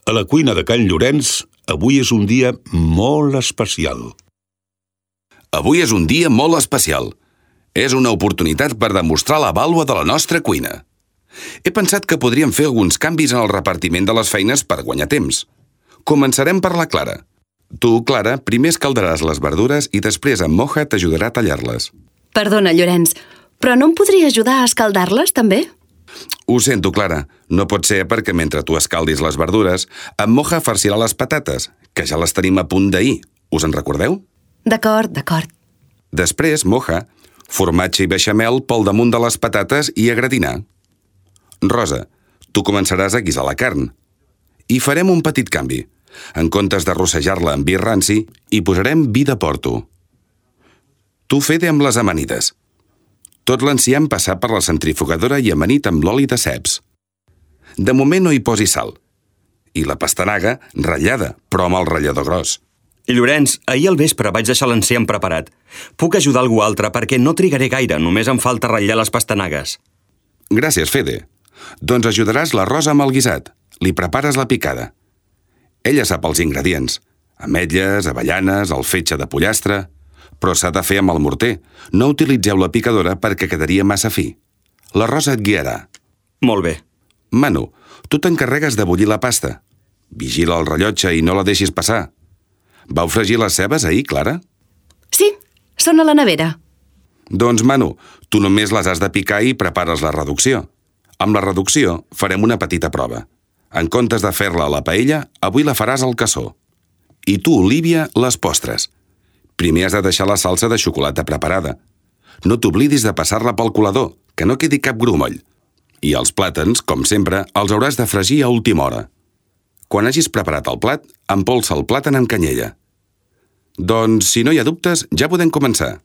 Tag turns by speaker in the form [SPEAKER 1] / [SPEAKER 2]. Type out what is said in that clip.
[SPEAKER 1] A la cuina de Can Llorenç, avui és un dia molt especial.
[SPEAKER 2] Avui és un dia molt especial. És una oportunitat per demostrar la vàlua de la nostra cuina. He pensat que podríem fer alguns canvis en el repartiment de les feines per guanyar temps. Començarem per la Clara. Tu, Clara, primer escaldaràs les verdures i després en Moja t'ajudarà a tallar-les.
[SPEAKER 3] Perdona, Llorenç, però no em podria ajudar a escaldar-les, també?
[SPEAKER 2] Ho sento, Clara. No pot ser perquè mentre tu escaldis les verdures, en Moja farcirà les patates, que ja les tenim a punt d'ahir. Us en recordeu?
[SPEAKER 3] D'acord.
[SPEAKER 2] Després, Moja, formatge i beixamel pel damunt de les patates i a gratinar. Rosa, tu començaràs a guisar la carn. I farem un petit canvi. En comptes de rossejar-la amb vi ranci, hi posarem vi de porto. Tu, Fede, amb les amanides. Tot l'enciam passar per la centrifugadora i amanit amb l'oli de ceps. De moment no hi posi sal. I la pastanaga, ratllada, però amb el ratllador gros.
[SPEAKER 4] I Llorenç, ahir al vespre vaig deixar l'enciam preparat. Puc ajudar algú altre perquè no trigaré gaire, només em falta ratllar les pastanagues.
[SPEAKER 2] Gràcies, Fede. Doncs ajudaràs la Rosa amb el guisat. Li prepares la picada. Ella sap els ingredients. Ametlles, avellanes, el fetge de pollastre... Però s'ha de fer amb el morter. No utilitzeu la picadora perquè quedaria massa fi. La Rosa et guiarà.
[SPEAKER 4] Molt bé.
[SPEAKER 2] Manu, tu t'encarregues de bullir la pasta. Vigila el rellotge i no la deixis passar. Vau fregir les cebes ahir, Clara?
[SPEAKER 3] Sí, són a la nevera.
[SPEAKER 2] Doncs, Manu, tu només les has de picar i prepares la reducció. Amb la reducció farem una petita prova. En comptes de fer-la a la paella, avui la faràs al cassó. I tu, Olívia, les postres. Primer has de deixar la salsa de xocolata preparada. No t'oblidis de passar-la pel colador, que no quedi cap grumoll. I els plàtans, com sempre, els hauràs de fregir a última hora. Quan hagis preparat el plat, empolsa el plàtan amb canyella. Doncs, si no hi ha dubtes, ja podem començar.